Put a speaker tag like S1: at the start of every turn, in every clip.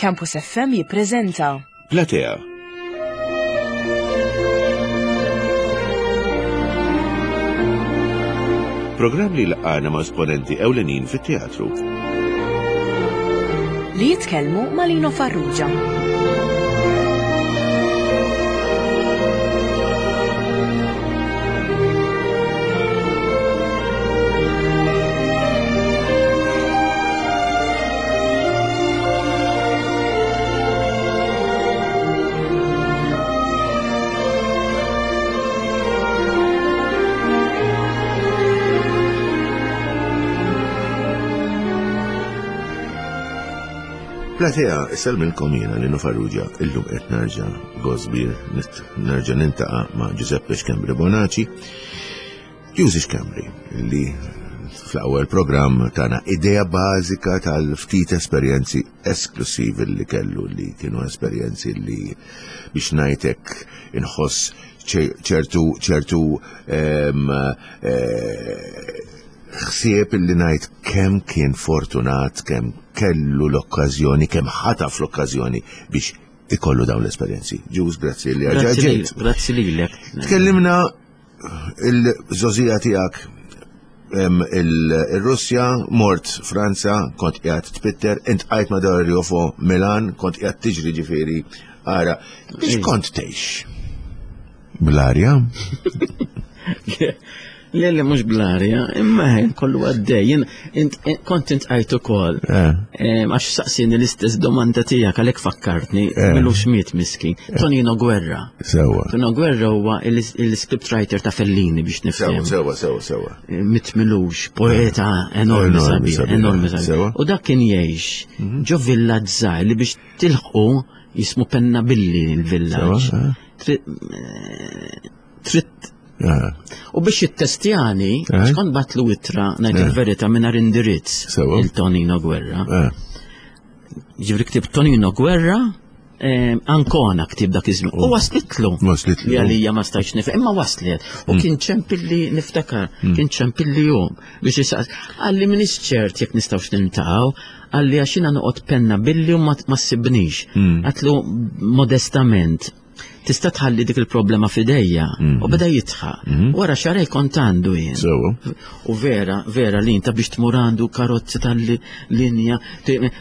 S1: Campus FM jippreżenta.
S2: Platea. Programm li laqgħana ma' esponenti ewlenin fit-teatru.
S1: Li jitkellmu ma' Lino Farrugia.
S2: Platea, isellmilkom jiena Nino Farrugia, illum qed nerġa' gosbir, nerġa' nintaqa' ma' Giuseppe Schembri Bonaci. Ġużi Schembri, li fl-ewwel programm tana idea bażika tal-ftit esperjenzi esklusivi li kellu li kienu esperjenzi li biex ngħidlek inħoss ċertu ċertu eh, ħsieb li ngħid kemm kien fortunat, kemm kellu l-okkażjoni, kemm ħataf l-okkażjoni biex ikollu dawn l-esperjenzi. Ġuż, grazzi li
S3: ġejt. Grazzi lilek.
S2: Tkellimna il-żożija tiegħek il-Russja, mort Franza, kont qiegħed tpitter, int qajt ma' Dario Fo Milan, kont qiegħed tiġri ġifieri ara. Biex kont tgħix? Bl-arja?
S3: Le, le, mhux bl-arja, imma ħin kollu għaddej. Kont intqajt ukoll. Eh. Għax saqsini l-istess domanda tiegħek għalhekk fakkartni, eh. milux miet miskin. Eh. Tonino Guerra.
S2: Sewa.
S3: Tonino Guerra huwa il-script writer ta' Fellini biex nifhem.
S2: Sewa, sewa, sewa.
S3: Miet milux, poeta enormi sabiħ, enormi sabiħ. U dak kien jgħix mhm. ġo villaġġ żgħir li biex tilħqu jismu Pennabilli l-villaġġ. Trid U biex jittestjani, eh? kont batlu ittra ngħid eh. il-verità mingħajr indirizz il-Tonino Guerra. Eh. Ġifri ktib Tonino Guerra, Ancona ktib dak iż-żmien. U waslitlu.
S2: Waslitlu.
S3: Li għalija ma stajtx nifhem, imma waslet. U mm. kien ċempilli niftakar, mm. kien ċempilli jum biex jisaqs. Għalli minix ċert jekk nistgħux niltaqgħu, għalli għax jiena noqgħod penna billi u ma ssibnix. Mm. Għatlu modestament, tista' tħalli dik il-problema f'idejja mm. u beda jitħaq. Mm. Wara xarej kont għandu jien. U vera, vera li inta biex tmur għandu karozzi tal-linja,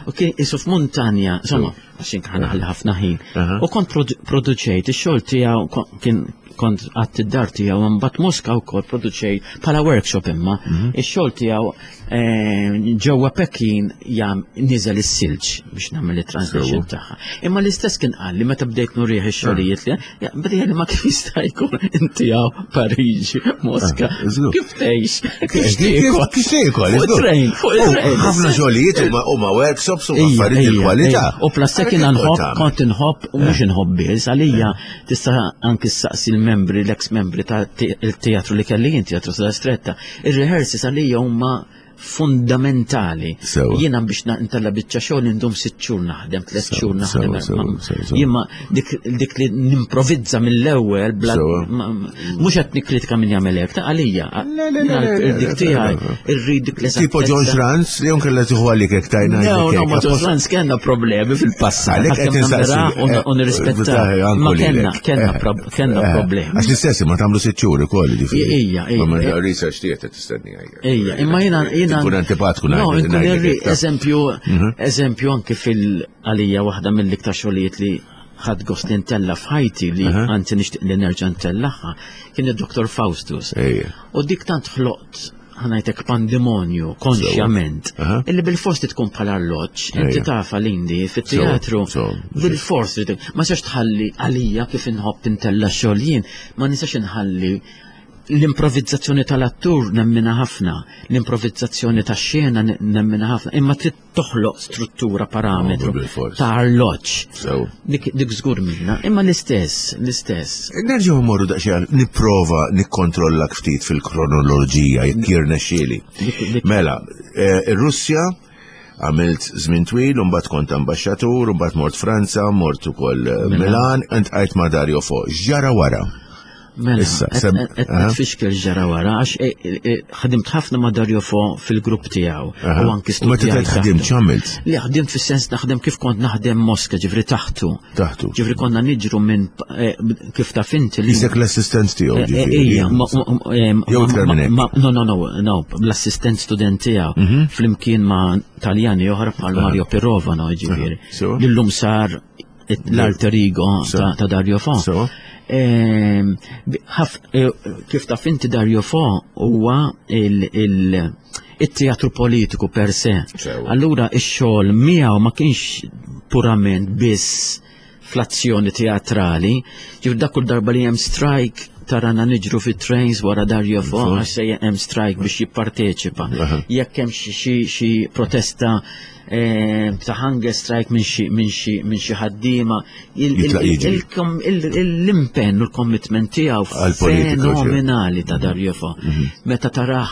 S3: u kien isu f'muntanja, insomma, għax kien ħalli ħafna ħin. U kont produċejt ix-xogħol tiegħu kien kont għadt id-dar tiegħu mbagħad Moska wkoll produċejt bħala workshop imma mhm. ix-xogħol tiegħu eh, ġewwa Pekin jam niżel is-silġ biex nagħmel it-translation tagħha. Imma l-istess kien qal li meta bdejt nurih ix-xogħlijiet li bdejt li ma kif jista' jkun inti hawn Pariġi, Moska. Ah, kif tgħix?
S2: Kif tiekol? Kif tiekol?
S3: Fuq train, fuq
S2: train. Ħafna xogħlijiet huma workshops u affarijiet il-kwalità.
S3: U plus kien nħobb, kont inħobb u mhux inħobb biss għalija tista' anki ssaqsi l-membri, l-ex membri ta' teatru li kelli jien teatru sa' stretta. Ir-rehearsals għalija huma fundamentali. Jiena biex ntella biċċa xogħol indum sitt xhur naħdem, tliet xhur naħdem. Jien ma dik li nimprovizza mill-ewwel bla mhux qed nikkritika min jagħmel hekk, ta' għalija. Dik tiegħi irrid dik
S2: li Tipo John Schranz li jom kellha tieħu għalik hekk tajna.
S3: No, no, ma John Schranz kellna problemi fil-passat.
S2: Għalhekk qed insaqsi.
S3: U nirrispetta. Ma kellna kellna kellna eh, problemi.
S2: Għax l-istess ma tagħmlu sitt xhur ukoll
S3: ġifieri. Ija,
S2: ija. Ma research tiegħek tistenni
S3: Ija, imma jiena jiena.
S2: Kun antipatku
S3: No, nkun eżempju, mhm. eżempju anke fil-għalija waħda mill-iktar xogħlijiet li ħadd gost li ntella f'ħajti li anzi nixtieq li nerġa' ntellaħħa kien id-Dr. Faustus. U dik tant ħloqt ħanajtek pandemonju konxjament illi bil-fors tkun bħala arloġġ, inti tafa l-indi fit-teatru, bil-fors ma sax tħalli għalija kif inħobb intella xogħol jien, ma nistax inħalli l-improvizzazzjoni tal-attur nemmina ħafna, l-improvizzazzjoni tax-xena nemmina ħafna, imma trid toħloq struttura parametru ta' arloġġ. Dik żgur minna, imma l-istess, l-istess.
S2: Nerġgħu mmorru daqsxejn nipprova nikkontrollak ftit fil-kronoloġija jekk jirnexxieli. Mela, eh, ir-Russja għamilt żmien twil, u mbagħad kont ambaxxatur, u mbagħad mort Franza, mort ukoll eh, Milan, int ma' Dario Fo. X'ġara wara?
S3: Mela,
S2: Issa, sem-
S3: qed
S2: aha.
S3: tfixkel ġara wara, għax eh, eh, ħadimt ħafna ma' Dario Fo fil-grupp tiegħu.
S2: Aha.
S3: U anki
S2: U meta
S3: studjajt
S2: tgħid ħdimt
S3: taħtu.
S2: x'għamilt?
S3: Li ħdimt fis-sens naħdem kif kont naħdem Moska, ġifri taħtu.
S2: Taħtu.
S3: Ġifri konna niġru minn eh, kif taf inti li.
S2: Isek l-assistent tiegħu
S3: Eh, eh,
S2: ġifieri.
S3: Ija, ma- ma- eh,
S2: Jew
S3: ma-
S2: iktar minn hekk.
S3: ma- No, no, no, no, l-assistent student tiegħu
S2: Mhm.
S3: flimkien ma' Taljani oħra bħal Mario Pirovano, ġifieri.
S2: Sewa.
S3: Lillum sar l-alter ego
S2: Sewa.
S3: ta' ta' Dario Fo.
S2: Sewa.
S3: Ehm, bi- ħaf- eh, Kif taf inti Dario Fo huwa il- il- it-teatru politiku per se.
S2: Sewa.
S3: Allura ix-xogħol miegħu ma kienx purament biss fl-azzjoni teatrali, ġifir dak kull darba li hemm strike tarana niġru fit trains wara Dario Fo għax se hemm strike biex jipparteċipa.
S2: Aha.
S3: Jekk hemm xi- xi xi protesta eh, ta' hunger strike minn xi minn xi minn xi ħaddiema, il- il-
S2: Jitlaq jiġri.
S3: il- il- il- l-impenn u l-commitment tiegħu
S2: Għall-politika, ġifieri.
S3: fenomenali ta' Dario Fo. Meta taraħ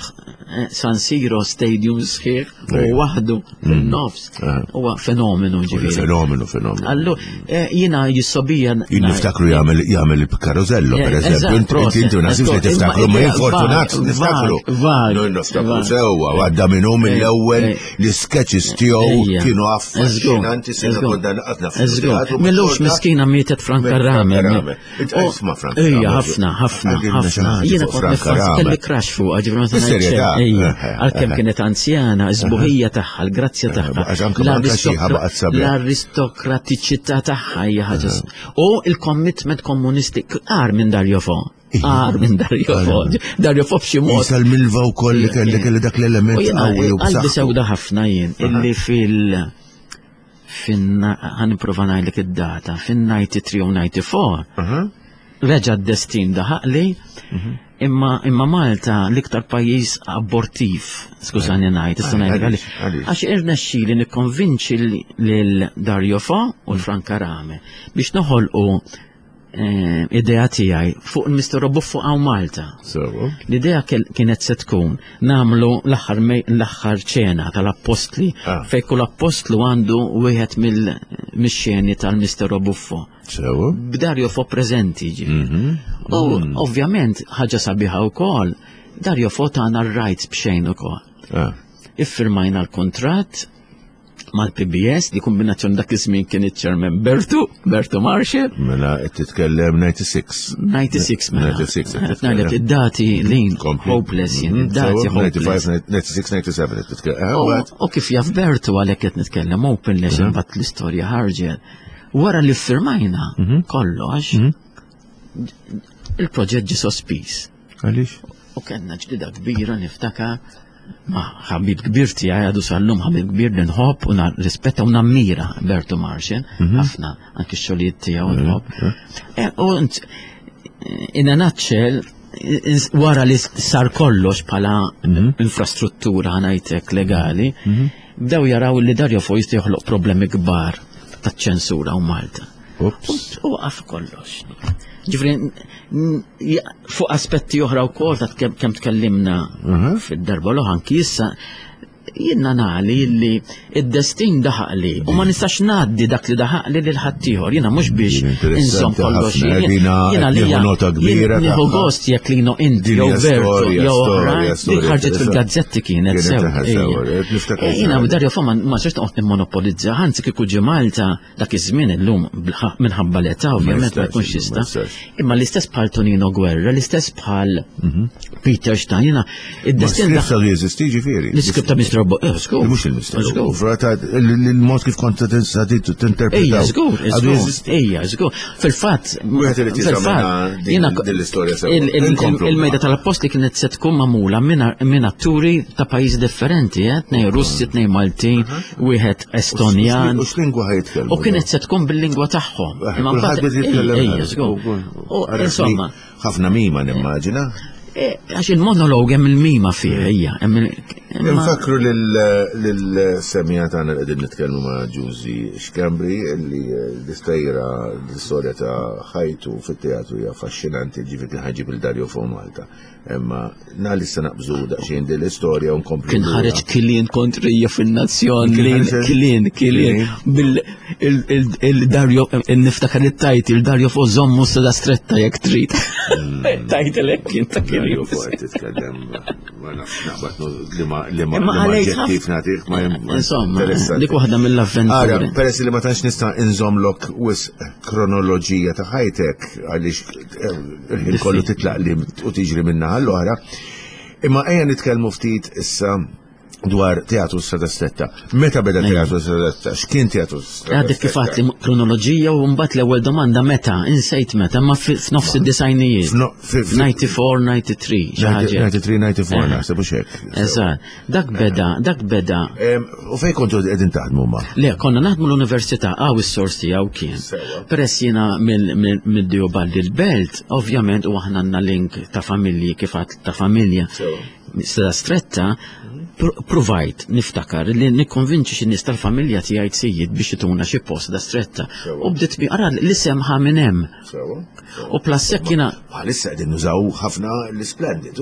S3: eh, San Siro Stadium sħiħ u
S2: Ejja.
S3: waħdu fin-nofs
S2: Aha.
S3: huwa fenomenu ġifieri.
S2: Fenomenu, fenomenu.
S3: Allu, eh, jiena jissobija.
S2: Jien niftakru jagħmel jagħmel il-karozello,
S3: Eh,
S2: per eżempju.
S3: eżatt,
S2: Inti inti
S3: proset,
S2: inti ma nasibx li
S3: eżatt.
S2: tiftakru,
S3: Imma
S2: ma jien
S3: idea
S2: fortunat
S3: vag,
S2: niftakru.
S3: vag, vag,
S2: Noi niftakru
S3: vag.
S2: sewwa, għadda minn hu mill-ewwel
S3: eh.
S2: li sketches tiegħu
S3: Ejja.
S2: kienu
S3: Eżgur,
S2: affaxxinanti sena
S3: eżgur.
S2: konna naqatna
S3: Eżgur. Millux miskina mietet Franka Rame.
S2: Rame. Int isma' Franka
S3: Ejja,
S2: Rame.
S3: ħafna, ħafna,
S2: Għidilna xi
S3: ħafna.
S2: ħaġa
S3: Jiena
S2: fuq
S3: kont
S2: Franka
S3: nifans
S2: Rame.
S3: kelli crush fuqha, ġifri ma
S2: Bis-serjetà?
S3: ngħid xejn. Ejja,
S2: Eh, eh,
S3: għalkemm
S2: eh.
S3: kienet anzjana, is-sbuħija tagħha, l-grazzja tagħha.
S2: għax anke manka xi ħabaqat sabiħ.
S3: L-aristokratiċità tagħha hija ħaġa. U il-commitment komunisti għar minn Dario Fo. Għar minn Dario Fo. Dario Fo b'xi mod
S2: Jisal milva wkoll li kelli kelli dak l-element
S3: U jena
S2: qawwi u
S3: qalbi
S2: b'saħħtu.
S3: sewda ħafna jien illi fil fin ħaniprofa ngħidlek id-data fin-93 u 94
S2: Aha.
S3: reġa' d-destin daħaqli
S2: Mhm.
S3: imma imma Malta l-iktar pajjiż abortiv, skużani ngħid, issa ngħidlek
S2: Għaliex,
S3: għaliex.
S2: għaliex?
S3: Għax irnexxieli nikkonvinċi lil Dario Fo u l-Franka Rame biex noħolqu eh, idea tiegħi fuq il-Mr. Buffo għaw Malta.
S2: Sewa.
S3: L-idea kienet se tkun namlu l-aħħar l-aħħar ċena tal-appostli
S2: Ah.
S3: fej kull appostlu għandu wieħed mill-xeni tal-Mistero Buffo.
S2: Sewa.
S3: B'Dario Fo preżenti ġifieri.
S2: Mhm.
S3: U ovvjament ħaġa sabiħa wkoll, Dario Fo tagħna r-rights b'xejn ukoll.
S2: Ah.
S3: Iffirmajna l-kontratt mal-PBS li kombinazzjoni dak iż-żmien kien iċ-chairman Bertu, Bertu Marshall,
S2: Mela qed titkellem 96.
S3: 96 mela.
S2: 96 qed
S3: Qed ngħidlek id-dati lin
S2: Kompli.
S3: hopeless jien,
S2: Mhm,
S3: id-dati
S2: sewa,
S3: hopeless.
S2: 95, 96, 97 qed titkellem. Ah,
S3: U-
S2: mbagħad.
S3: U kif jaf Bertu għalhekk qed nitkellem openless imbagħad l-istorja ħarġet. Wara li ffirmajna kollox, il-proġett ġie sospiż.
S2: Għaliex?
S3: U kellna ġdida kbira niftakar ma' ħabib kbir tiegħi għadu sal-lum ħabib kbir li nħobb u rispetta u nammira Bertu Marxin, ħafna anki x-xogħlijiet tiegħu nħobb. E, U int- in a nutshell, ins- wara li sar kollox bħala infrastruttura ħanajtek legali, bdew jaraw li Dario Fo jista' joħloq problemi kbar taċ-ċensura u Malta.
S2: Ups.
S3: U għaf kollox. Ġifri, fuq aspetti oħra u kol ta' kem tkellimna fid-darba l anki issa, jiena nali li id-destin daħaqli u ma nistax ngħaddi dak li daħaqli lil ħaddieħor. Jiena mhux biex
S2: Din interessanti
S3: inżomm kollox.
S2: ħafna,
S3: jien-
S2: dina
S3: Jiena
S2: qed
S3: li
S2: nieħu nota kbira
S3: Nieħu
S2: tagħha.
S3: gost jekk lino inti
S2: Din
S3: jew
S2: hija
S3: Bertu
S2: storja,
S3: jew
S2: storja,
S3: oħrajn. Din
S2: storja
S3: ħarġet
S2: interessanti.
S3: fil-gazzetti kienet
S2: Kienet
S3: sew.
S2: taħ sew,
S3: ejja.
S2: qed niftakar
S3: Eh, Jiena
S2: sew.
S3: Dario Fo ma ma sirx noqgħod nimmonopolizza, anzi kieku ġie Malta dak iż-żmien illum minħabba l-età ovvjament ma
S2: jistax,
S3: jkunx
S2: ma
S3: jista'.
S2: jistax.
S3: Imma l-istess bħal Tonino Guerra, l-istess bħal Peter Stein, jiena
S2: Ma
S3: id-destin
S2: script għadu jeżisti ġifieri.
S3: L-iskript ta' Mr. Robo, eh, żgur.
S2: Mhux il-misteru.
S3: Żgur.
S2: Frata il-mod kif kont tinterpretaw.
S3: Ejja, żgur,
S2: Għadu
S3: żgur.
S2: jeżisti.
S3: Ejja, żgur. Fil-fatt,
S2: Wieħed irid jeżamina din-
S3: jiena-
S2: din l-istorja sewa.
S3: il- il-
S2: Inkomplu.
S3: Il-mejda tal-appostli kienet se tkun magħmula minn atturi ta' pajjiżi differenti, eh, tnej Russi, tnej Maltin, wieħed Estonjan.
S2: U x'lingwa ħajtkellmu?
S3: U kienet se tkun bil-lingwa tagħhom.
S2: Eh,
S3: Imma
S2: Kulħadd
S3: mbagħad-
S2: bdiet jitkellem.
S3: Ejja, żgur. U insomma,
S2: ħafna mima nimmaġina.
S3: Eh, Għax il-monolog hemm il-mima fih, ejja, hemm il-
S2: Nfakru lil-semija tagħna li qegħdin nitkellmu ma' Ġużi Schembri li l-istajra l-istorja ta' ħajtu fit-teatru hija affaxxinanti, ġifieri kien ħa jġib il Dario Fo Malta. Imma nhar li se naqbżu daqsxejn din l-istorja u nkomplu.
S3: Kien ħareġ kilien kontrija fin-nazzjon, kilien, kilien, bil-Dario, niftakar it-tajt, il-Dario Fo żommu sada stretta jekk trid. Tajt hekk kien ta'
S2: Dario Fo titkellem ma nafx naqbad li ma li ma ġettif nagħtik ma
S3: Insomma, dik waħda mill-avventuri.
S2: Ara, peress li ma tantx nista' inżomlok wisq kronoloġija ta' ħajtek għaliex il-ħin kollu titlaq li u tiġri minna għall-oħra. Imma ejja nitkellmu ftit issa dwar Teatru Strada Stretta. Meta beda Teatru Strada Stretta? X'kien Teatru Strada
S3: Għadek kif għatli kronoloġija u mbagħad l-ewwel domanda meta, insejt meta, ma f'nofs id-disajnijiet. 94, 93, xi ħaġa.
S2: 93, 94, naħseb u xek.
S3: Eżatt. Dak beda, dak beda.
S2: U fejn kontu qegħdin taħdmu ma?
S3: Le, konna naħdmu l-università, għaw is-sors tiegħu kien. Peress jiena mill-Diobaldi l-Belt, ovvjament u aħna għandna link ta' familji kif ta' familja. Strada stretta, provajt niftakar li nikkonvinċi xi nies tal-familja tiegħi sejjid biex ituna xi post da stretta. U bdiet bi ara l-isem ħa minn hemm. U plassek jiena.
S2: Bħalissa qegħdin nużaw ħafna l-Splendid.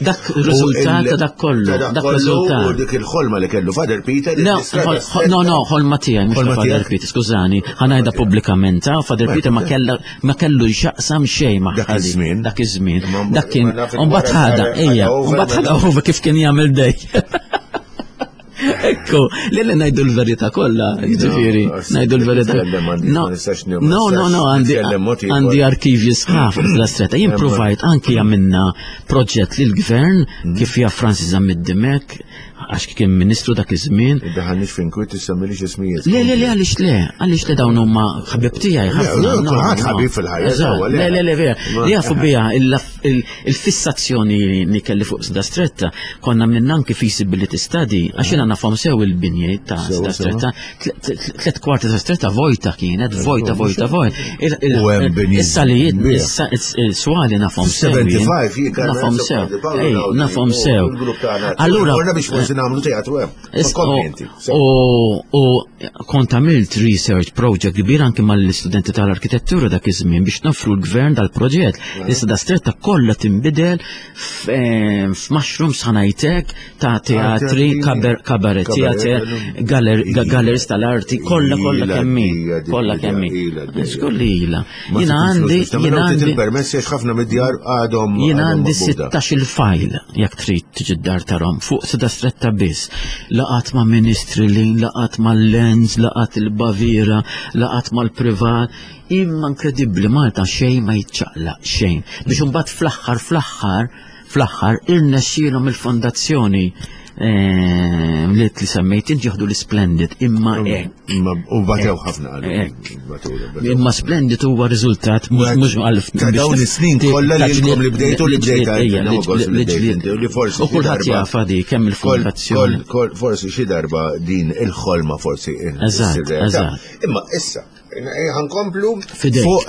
S3: Dak riżultat ta' dak kollu. Dak riżultat.
S2: U dik il-ħolma li kellu Father Peter.
S3: No, no, ħolma tiegħi mhux Father Peter, skużani, ħanajda pubblikament, ah, Father Peter ma kellha ma kellu xaqsam xejn ma'
S2: dak iż-żmien.
S3: Dak iż-żmien. Dak kien, u mbagħad ħada, ejja, u mbagħad ħada over kif kien jagħmel dej. Ekku, li li najdu l-verita kolla, ġifiri, najdu l-verita. No, no, no, no, għandi arkivji sħaf la stretta. Jien provajt anki għamilna proġett li l-gvern mhm. kif jaf Francis Zammit Dimek, għax kien ministru dak iż-żmien.
S2: Daħalniex fin kwiet issemmili x'ismijiet.
S3: Le, le, le, għaliex le, għaliex le dawn huma ħabib tiegħi
S2: ħafna. Kulħadd ħabib fil-ħajja.
S3: Le, le, le, vera. Li jafu biha Il-fissazzjoni li kelli fuq Sda Stretta, konna minna anki feasibility study, għax jiena nafhom sew il-binjiet ta' Sda Stretta, tlet kwarti ta' Stretta vojta kienet, vojta, vojta, vojta. Is-salijiet, is-swali nafhom sew.
S2: 75
S3: Nafhom sew. Nafhom sew.
S2: Allura. Konna biex forsi nagħmlu teatru hemm.
S3: U kont għamilt research project kbir anki mal-istudenti tal-arkitettura dak iż-żmien biex nofru l-gvern dal-proġett. Issa da stretta kollha tinbidel eh, f'mushrooms ħanajtek ta' teatri, kabaret, teater, galleries tal-arti, kollha kollha kemmi, kollha kemmi. Żgur li ilha. Jina għandi.
S2: Jina għandi. Il-permess għax ħafna mid-djar għadhom.
S3: Jina għandi 16 il-fajl jekk trid tiġi d-dar tarhom fuq seda stretta biss. Laqat ma' ministri li, laqat ma' Lenz, laqat il-Bavira, laqat mal-privat. Imma inkredibbli Malta xejn ma jiċċaqlaq xejn. Biex imbagħad fl-aħħar fl-aħħar Fl-aħħar, irnexxielhom il-fondazzjoni eh, li li semmejt inti jieħdu l-Splendid imma hekk.
S2: U batew ħafna
S3: hekk. Imma Splendid huwa riżultat mhux għal
S2: Ta' dawn is-snin kollha li ilkom li bdejtu li bdejt li forsi.
S3: U kulħadd jaf di kemm il-fondazzjoni.
S2: Forsi xi darba din il-ħolma forsi.
S3: Eżatt, eżatt.
S2: Imma issa, ħankomplu fuq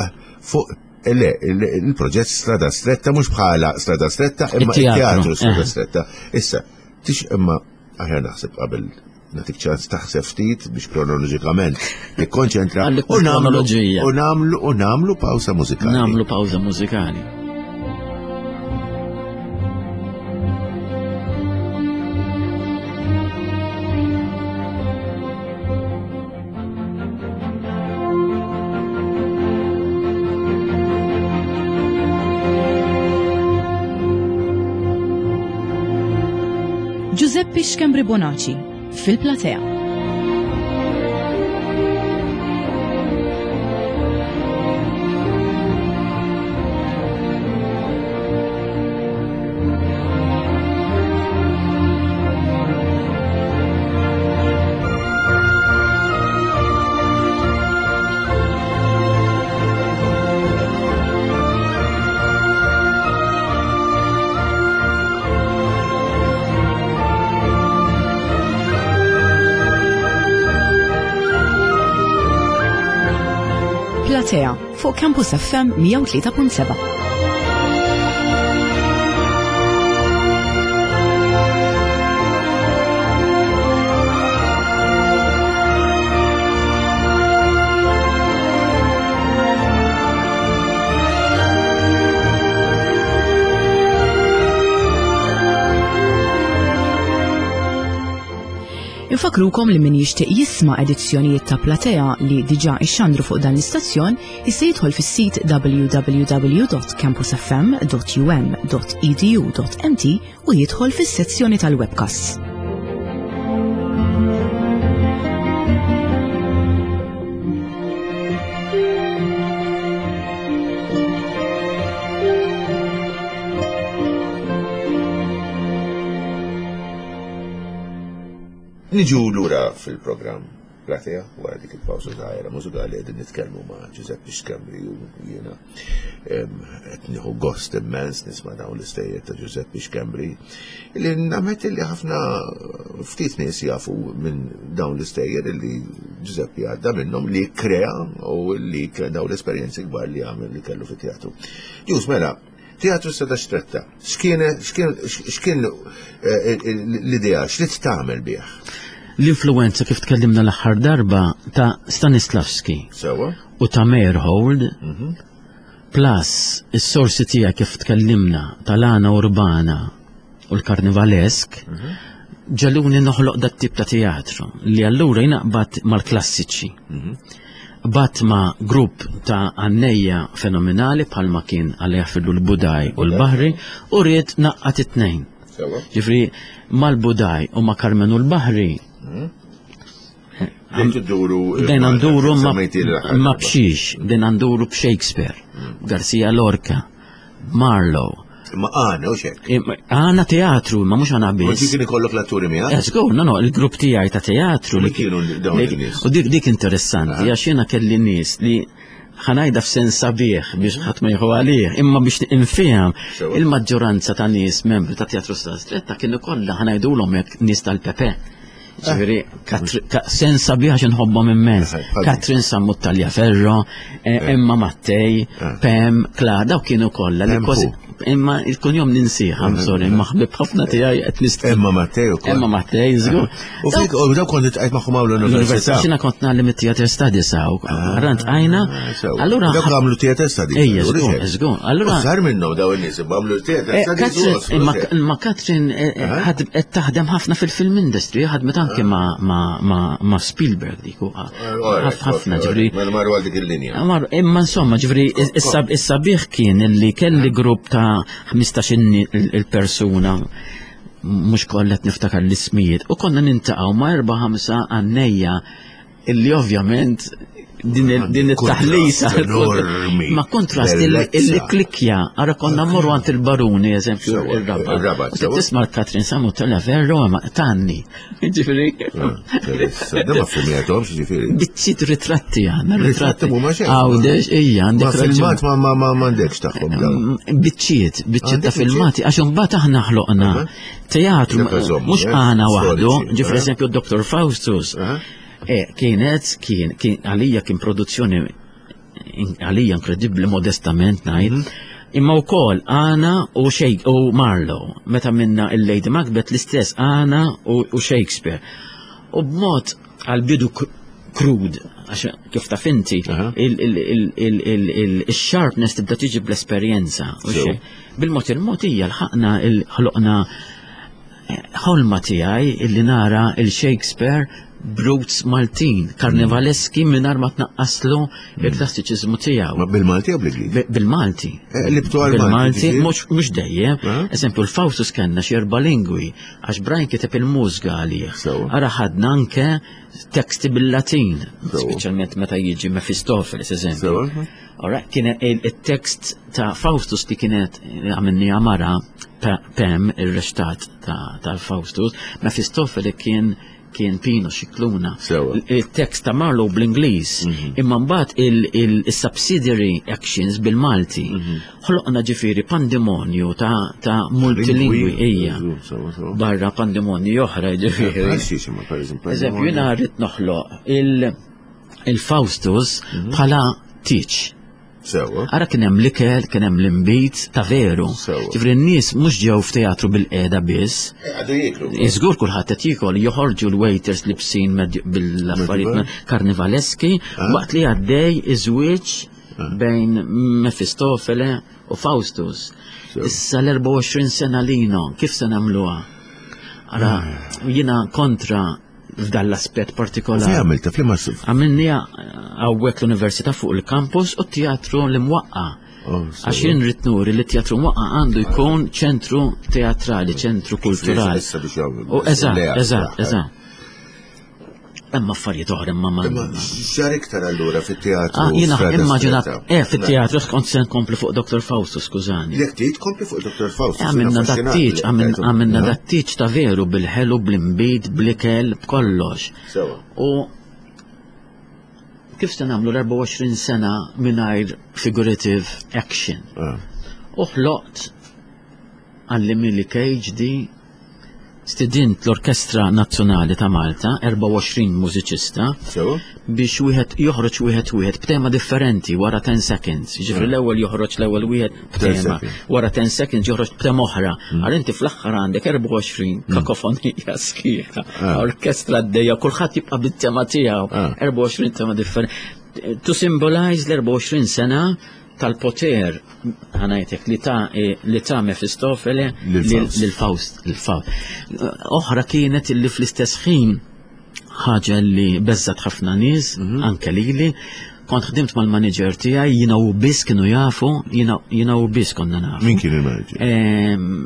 S2: fuq Eh, le, il-proġett Strada Stretta mhux bħala Strada Stretta, imma il-teatru Strada eh. Stretta. Issa, tix imma aħjar naħseb qabel natik ċans taħseb ftit biex kronoloġikament tikkonċentra u nagħmlu u nagħmlu u nagħmlu pawsa mużikali.
S3: Nagħmlu pawsa mużikali.
S1: Giuseppe Schembri Bonaci fil-platea. Platea fuq Campus FM 103.7. Infakrukom li min jixtieq jisma' edizzjonijiet ta' Platea li diġà ixxandru fuq dan l-istazzjon jista' jidħol fis-sit www.campusfm.um.edu.mt u jidħol fis-sezzjoni tal-webcasts.
S2: Niġu lura fil-programm Platea wara dik il-pawża żgħira mużikali qegħdin nitkellmu ma' Giuseppe Schembri u jiena qed nieħu gost immens nisma' dawn l-istejjer ta' Giuseppe Schembri li nammetti li ħafna ftit nies jafu minn dawn l-istejjer li Giuseppe għadda minnhom li krea u li dawn l-esperjenzi kbar li għamel li kellu fit-teatru. Ġus mela, Teatru Strada Stretta, x'kien x'kien eh, l-idea, x'rid tagħmel bih?
S3: L-influenza kif tkellimna l-aħħar darba ta' Stanislavski.
S2: Sewa.
S3: U ta' Meyerhold. Mhm. Plus is-sorsi tiegħek kif tkellimna tal-għana urbana u l-karnivalesk. Mhm. Ġaluni noħloq dat tip ta' teatru li allura jinaqbad mal-klassiċi. Mhm. Bat ma' grupp ta' għannejja fenomenali bħalma kien għalija fillu l-Budaj u l-Bahri u ried naqqat it-tnejn. Ġifri, mal-Budaj u ma' Karmenu l-Bahri.
S2: Mhm.
S3: Dejna nduru ma' bxiex, dejna nduru b'Shakespeare, mhm. Garcia Lorca. Marlowe.
S2: Ma għana, u xek.
S3: Għana teatru, ma mux għana biss.
S2: Ma kien ikollok l-atturi miegħek?
S3: Eżgur, no, no, il-grupp tiegħi ta' teatru.
S2: Li kienu dawn in-nies.
S3: U dik dik interessanti, ah. għax jiena kelli nies li ħanajda f'sens sabiħ biex mhm. ħadd ma jieħu għalih, imma biex infehem il-maġġoranza ta' nies membri ta' teatru stretta kienu kollha ħanajdulhom hekk nies tal-Pepe. Ġifieri, sens sabiħ għax inħobbhom immens. Katrin Sammut Taljaferro, eh, eh. Emma Mattej, eh. Pem, Kla, daw kienu kollha li kważi imma il-kunjom ninsih, I'm sorry, imma ħbib ħafna tiegħi qed nist.
S2: Emma Mattej ukoll.
S3: Emma Mattej, żgur.
S2: U fik u daw kont tqajt magħhom hawn l-università.
S3: Xina kont nagħlim it-theater studies hawn, ah, rant għajna.
S2: Allura dawk għamlu theater studies.
S3: Ejja, żgur, żgur.
S2: Allura sar minnhom daw in-nies għamlu theater eh,
S3: studies. Imma Katrin eh, eh, qed taħdem ħafna fil-film industry, ħadmet anke ma' Spielberg dik ħafna ġifri.
S2: Mela marru għal dik il-linja.
S3: Imma insomma ġifri is-sabiħ kien illi kelli grupp ta' 15 il-persuna mhux kollha niftakar l-ismijiet u konna nintaqgħu ma' erba' ħamsa għannejja illi ovvjament din it-taħlita ma kontrast illi klikja għara konna morru għand il-baruni eżempju il-rabat. Tisma' Katrin Samu tella verro ma tanni. Ġifieri.
S2: Ah, da ma filmjathomx, ġifieri.
S3: Biċċiet ritratti għandna.
S2: Ritratti mhuma xejn.
S3: Għawdex, ejja,
S2: għandek. Ma filmat ma ma ma m'għandekx tagħhom dawn.
S3: Mm, biċċiet, biċċiet ta' filmati, għax imbagħad aħna ħloqna teatru mhux eh, għana waħdu, ġifri eżempju Dr. Faustus. Eh, kienet, kien, għalija kien produzzjoni għalija inkredibbli modestament ngħid. Mhm. Imma wkoll Ana u Shake u Marlowe, meta minna il-Lady Macbeth l-istess Ana u Shakespeare. U b'mod għal-bidu krud, għax kif taf inti, il-sharpness tibda tiġi bl-esperjenza. Bil-mod il-mod hija l-ħaqna il-ħloqna ħolma tiegħi illi nara il-Shakespeare brutes Maltin, karnevaleski mingħajr ma tnaqqaslu il-klassiċiżmu tiegħu.
S2: Ma bil-Malti jew bl-Ingliż?
S3: Bil-Malti.
S2: Eh, libtu għal
S3: Bil-Malti, mhux dejjem. Eh? Eżempju, l-Faustus kellna xi erba' lingwi, għax Brian kiteb il-mużga għalih. Ara ħadna anke teksti bil-Latin, speċjalment meta jiġi Mephistopheles, eżempju. Ora, kien il-tekst ta' Faustus li kienet għamilni għamara Pem, il-rextat tal-Faustus, Mephistopheles kien kien Pino Xikluna. Il-tekst ta' Marlowe bl-Ingliż, mhm. imma mbagħad il-subsidiary actions bil-Malti. Mhm. Ħloqna ġifieri pandemonju ta' multilingwi hija. Barra pandemonju oħra ġifieri. Eżempju, jiena rrid noħloq il-Faustus mhm. bħala tiċ.
S2: Sewa.
S3: Ara kien hemm l-ikel, kien hemm l-inbid ta' veru. Ġifri n-nies mhux ġew f'teatru bil-qiegħda biss.
S2: Eh, għadu jieklu.
S3: Iżgur kulħadd qed jiekol, joħorġu l-waiters libsin bil-affarijiet karnivaleski ah. waqt li għaddej iż-żwieġ ah. bejn Mefistofele u Faustus. Issa l-24 sena lino, kif se nagħmluha? Ara, ah. jiena kontra f'dan l-aspett partikolari.
S2: Fejn għamilta f'liema
S3: Għamilniha hawnhekk l-Università fuq il-campus u t-teatru l-imwaqqa.
S2: Oh,
S3: Għax jien rrid nuri li t-teatru mwaqqa għandu jkun ċentru teatrali, ċentru kulturali. U eżatt, eżatt, eżatt. Hemm affarijiet oħra imma ma.
S2: Imma x'ġar iktar allura fit-teatru?
S3: Ah, jiena immaġinat, eh, fit-teatru kont se nkompli fuq Dr. Fausto, skużani.
S2: Jekk trid kompli fuq Dr. Fausto.
S3: Eh, għamilna dat-tieġ, għamilna dat-tieġ ta' veru bil-ħelu, bl-imbid, bl-ikel, b'kollox.
S2: Sewa.
S3: U kif se nagħmlu l-24 sena mingħajr figurative action?
S2: Ah.
S3: U ħloqt għalli Millie Cage di Stidint l-Orkestra Nazzjonali ta' Malta, 24 mużiċista, biex wieħed joħroġ wieħed wieħed b'tema differenti wara 10 seconds. Jiġifieri mm. l-ewwel joħroġ l-ewwel wieħed b'tema, wara 10 seconds joħroġ b'tema oħra. Mm. Għal inti fl-aħħar għandek 24 mm. kakofonija sħiħa, ah. orkestra għaddejja, kulħadd jibqa' bit-tema tiegħu, 24 ah. tema differenti. To symbolize l-24 sena tal-poter ħanajtek li ta' eh, li ta' Mefistofele lil Faust il-Faust. Oħra kienet li fl-istess ħin ħaġa li beżżat ħafna nies, mhm. anke lili, kont ħdimt mal-manager tiegħi jiena u biss kienu jafu, jiena u biss konna nafu.
S2: Min kien il-manager?
S3: Ehm,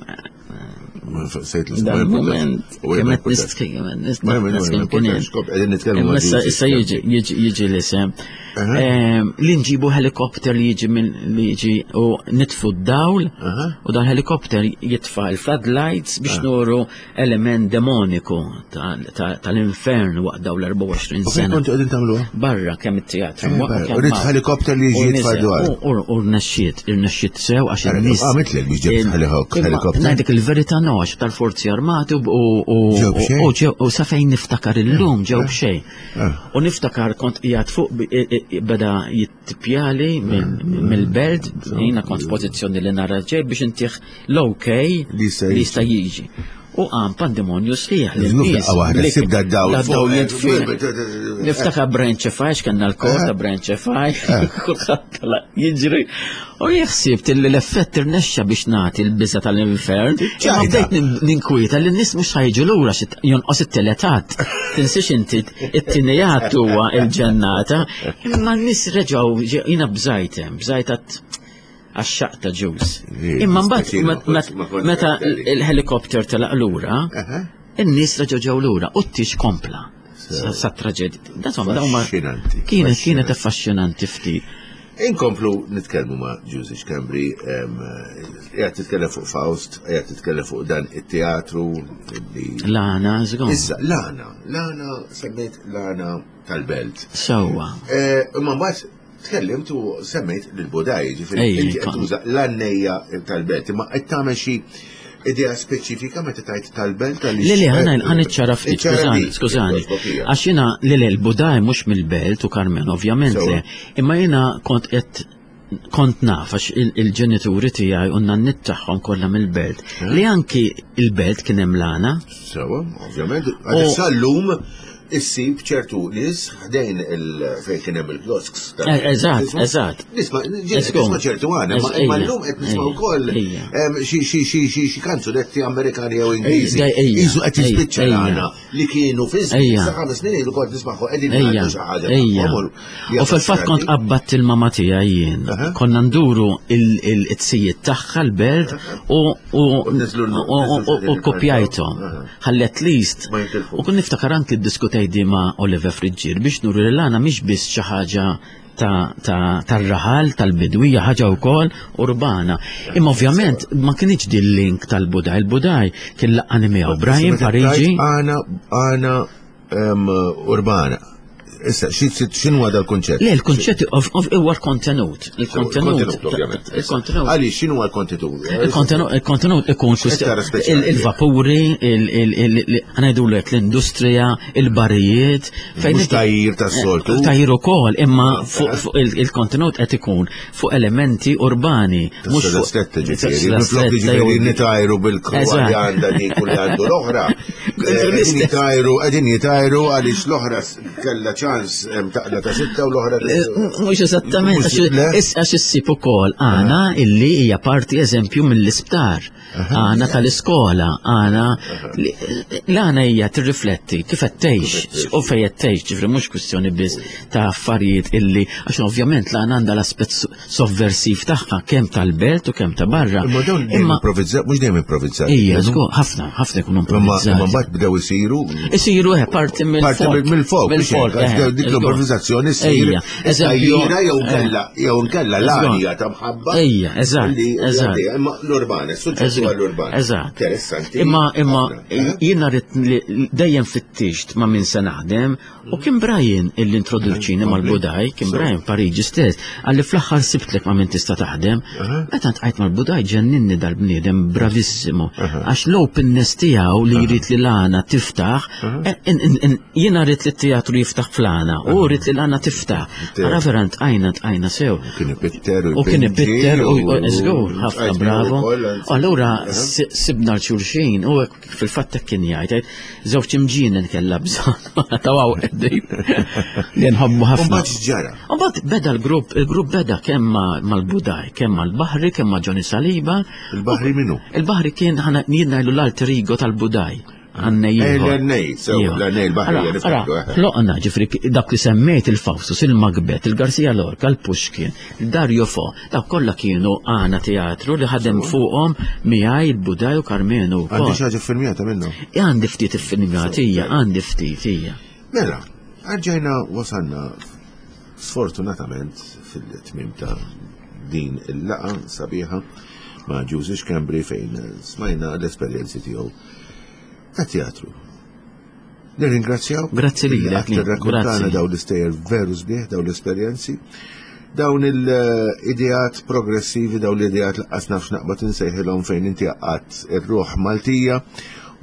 S2: Dan
S3: moment, kemm qed nitkellem, nitkellem. Issa jiġi l-isem. Li nġibu helikopter li jiġi minn li jiġi u nitfu d-dawl u dan helikopter jitfa l-floodlights biex nuru element demoniku tal-infern waqt daw l-24 sena.
S2: Kontu qegħdin tagħmluha?
S3: Barra kemm it-teatru.
S2: Eh, Rid helikopter li jiġi jitfa dwar.
S3: U rnexxiet, irnexxiet sew għax in-nies.
S2: Għamitlek biex ġibt helikopter.
S3: Ngħidlek il-verità no għax tal-forzi armati u sa fejn niftakar illum ġew b'xejn.
S2: Ah.
S3: U niftakar kont qiegħed fuq beda jittipjali mill-belt, jiena kont f'pożizzjoni li nara ġej biex intih l-ok li jista' jiġi. U għam pandemonju sħiħ.
S2: li nies. Waħda, sibda d-dawl.
S3: Dawl jitfi. Niftakar Brian Cefaj, x'kenna l-kor ta' Brian Cefaj, kulħadd jiġri. U jħsibt li l-effett irnexxa biex nagħti l-biża tal-infern. Imma bdejt ninkwieta li n-nies mhux ħajġu lura xi jonqos it-teletat. Tinsiex inti it-tieni huwa il-ġennata. Imma n-nies reġgħu jiena bżajtem, bżajt għax-xaq ta' ġus. Imma mbagħad meta l-helikopter telaq lura, in-nies reġgħu ġew lura u t-tieġ kompla. Sa traġedja. Insomma, dawn kienet kienet affaxxinanti ftit.
S2: Inkomplu nitkellmu ma' Ġużi Schembri, qiegħed titkellem fuq Faust, qiegħed titkellem fuq dan it-teatru
S3: li. L-għana, żgur.
S2: Issa, l-għana, l-għana semmejt l-għana tal-belt.
S3: Sewwa.
S2: Eh, imma mbagħad tkellimt u semmejt lil Budaj, ġifieri inti qed tuża l-għannejja tal-belt, imma qed tagħmel xi idea speċifika meta tajt tal-belt
S3: għaliex. Le, le, ħana ħana iċċara ftit, skużani, skużani. Għax jiena le le l-Budaj mhux mill-belt u Karmen ovvjament le, imma jiena kont qed kont naf għax il-ġenituri tiegħi u n-nannit tagħhom kollha mill-belt eh? li anki il-belt kien hemm lana.
S2: Sewa, ovvjament. Għax sal-lum issib ċertu nies ħdejn fejn kien hemm il-kiosks.
S3: Eh, eżatt, eżatt.
S2: Nisma' nisma' ċertu għana, imma llum qed nisma' wkoll xi kanzunetti Amerikani jew Ingliżi. Iżu qed jispiċċa għana li kienu fi żmien sa ħames snin ilu kont nismagħhom qegħdin jgħidu xi ħaġa.
S3: U fil-fatt kont qabbadt il-mama tiegħi jien. Konna nduru il-tzijiet tagħha l-belt u kopjajthom. Ħalli at least. U kun niftakar anki ddiskutejt di ma' Oliver Friggier biex nuri li l-għana mhix biss xi ħaġa tar-raħal, tal-bidwi, hija ħaġa wkoll urbana. Imma ovvjament ma kienx din link tal-Budaj. Il-Budaj kien laqqani miegħu Brian Parigi.
S2: Għana għana urbana. Issa, x'inhu dal-kunċett?
S3: Le, l-kunċett huwa l-kontenut. Il-kontenut,
S2: ovvjament. Il-kontenut. Għaliex x'inhu l-kontenut?
S3: Il-kontenut ikun il-vapuri, ħanajdulek l-industrija, il-barijiet.
S2: Mhux tajjir tas-soltu.
S3: Eh, tajjir ukoll, imma fuq il-kontenut qed ikun fuq elementi urbani.
S2: Mhux fuq stretta ġifieri. Minflok ġifieri nitajru bil-kwa li għandha dik u li għandu l-oħra. Qegħdin jitajru, qegħdin jitajru għaliex l-oħra kellha ċans taqla ta' sitta u l-oħra.
S3: Eh, mhux eżattament, għax issib ukoll għana illi hija parti eżempju mill-isptar, għana tal-iskola, għana l-għana hija tirrifletti kif qed tgħix u fejn qed tgħix, ġifri mhux kwistjoni biss ta' affarijiet illi għax ovvjament l-għana għandha l-aspett sovversiv tagħha kemm tal-belt u kemm ta' barra.
S2: Imma dawn imma improvvizzat, mhux dejjem improvvizzat.
S3: Ija, żgur, ħafna, ħafna jkunu improvvizzati.
S2: Imma mbagħad bdew isiru.
S3: Isiru eh, parti mill-folk.
S2: Parti mill-folk.
S3: Mill-folk.
S2: Eh, dik l-improvvizzazzjoni ssir.
S3: Eżempju.
S2: Jew nkella, jew nkella l-għalija ta' mħabba.
S3: Ejja, eżatt. Eżatt.
S2: Imma l-urban, is-suġġett huwa l-urban.
S3: Eżatt.
S2: Interessanti.
S3: Imma imma eh? jiena rrid dejjem fittixt ma' min se naħdem U kien Brian illi introduċini mal-Budaj, kien Brian Pariġi stess, għalli fl-aħħar sibtlek ma' min tista' taħdem. Meta tqajt mal-Budaj ġenninni dal-bniedem bravissimo. Għax l-openness tiegħu li jrid li l-għana tiftaħ, eh, jiena rrid li t-teatru jiftaħ fl-għana, u rrid li l-għana tiftaħ. Ara vera ntqajna ntqajna sew.
S2: Kien ipitter
S3: u kien ipitter u żgur ħafna bravo. Allura sibna l-xulxin u Fil-fatt hekk kien jgħid, żewġ imġienen kellha bżonn ta' waw qegħdin li nħobbu ħafna.
S2: Mbagħad ġara.
S3: Mbagħad beda l-grupp, il-grupp beda kemm mal-Budaj, kemm mal-Baħri, kemm ma' Johnny Saliba.
S2: Il-Baħri minnu?
S3: Il-Baħri kien ħana jien ngħidu l-alter ego tal-Budaj.
S2: Għannej. Eh, l-għannej, sew, l-għannej l-Baħri.
S3: Eh. Ħloqna, ġifri, dak li semmejt il-Fawstus, il-Macbeth, il-Garcia Lorca, il-Pushkin, il-Dario Fo, Dawk kollha kienu għana teatru li ħadem fuqhom miegħi il-Budaj u Karmenu.
S2: Għandi xi ħaġa ffilmjata minnhom?
S3: Għandi ftit iffilmjat hija, għandi ftit hija.
S2: Mela, rġajna wasalna sfortunatament fil-tmiem ta' din il-laqa sabiħa ma' Ġużi Schembri fejn smajna l-esperjenzi tiegħu ta' teatru. Nirringrazzjaw.
S3: Grazzi lilek.
S2: Tirrakkontana dawn l-istejjer veru sbieħ, dawn l-esperjenzi. Dawn il-ideat progressivi, dawn l-ideat laqqas nafx naqbad insejħilhom fejn inti għaqqadt ir-ruħ Maltija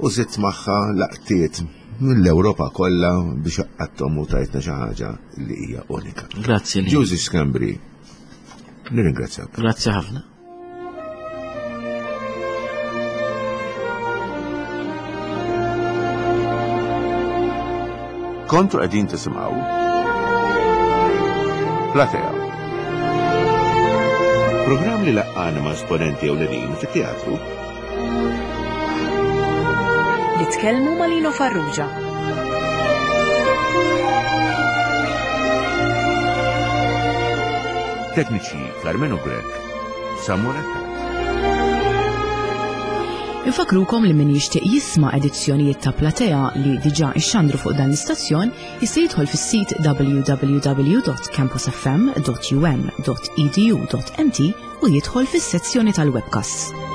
S2: u żidt magħha laqtiet mill-Ewropa kollha biex għaqqadthom u tajtna xi ħaġa li hija unika.
S3: Grazzi.
S2: Ġużi Schembri, nirringrazzjak.
S3: Grazzi ħafna.
S2: Kontu qegħdin tisimgħu Platea. Programm li laqqana ma' esponenti ewlenin fit-teatru.
S1: Li tkellmu ma' Lino Farrugia.
S2: Tekniċi Carmenu Grech, Samuel Attard.
S1: Infakrukom li min jixtieq jisma' edizzjonijiet ta' Platea li diġà ixxandru fuq dan l-istazzjon jista' jidħol fis-sit www.campusfm.um.edu.mt u jidħol fis-sezzjoni tal-webcasts.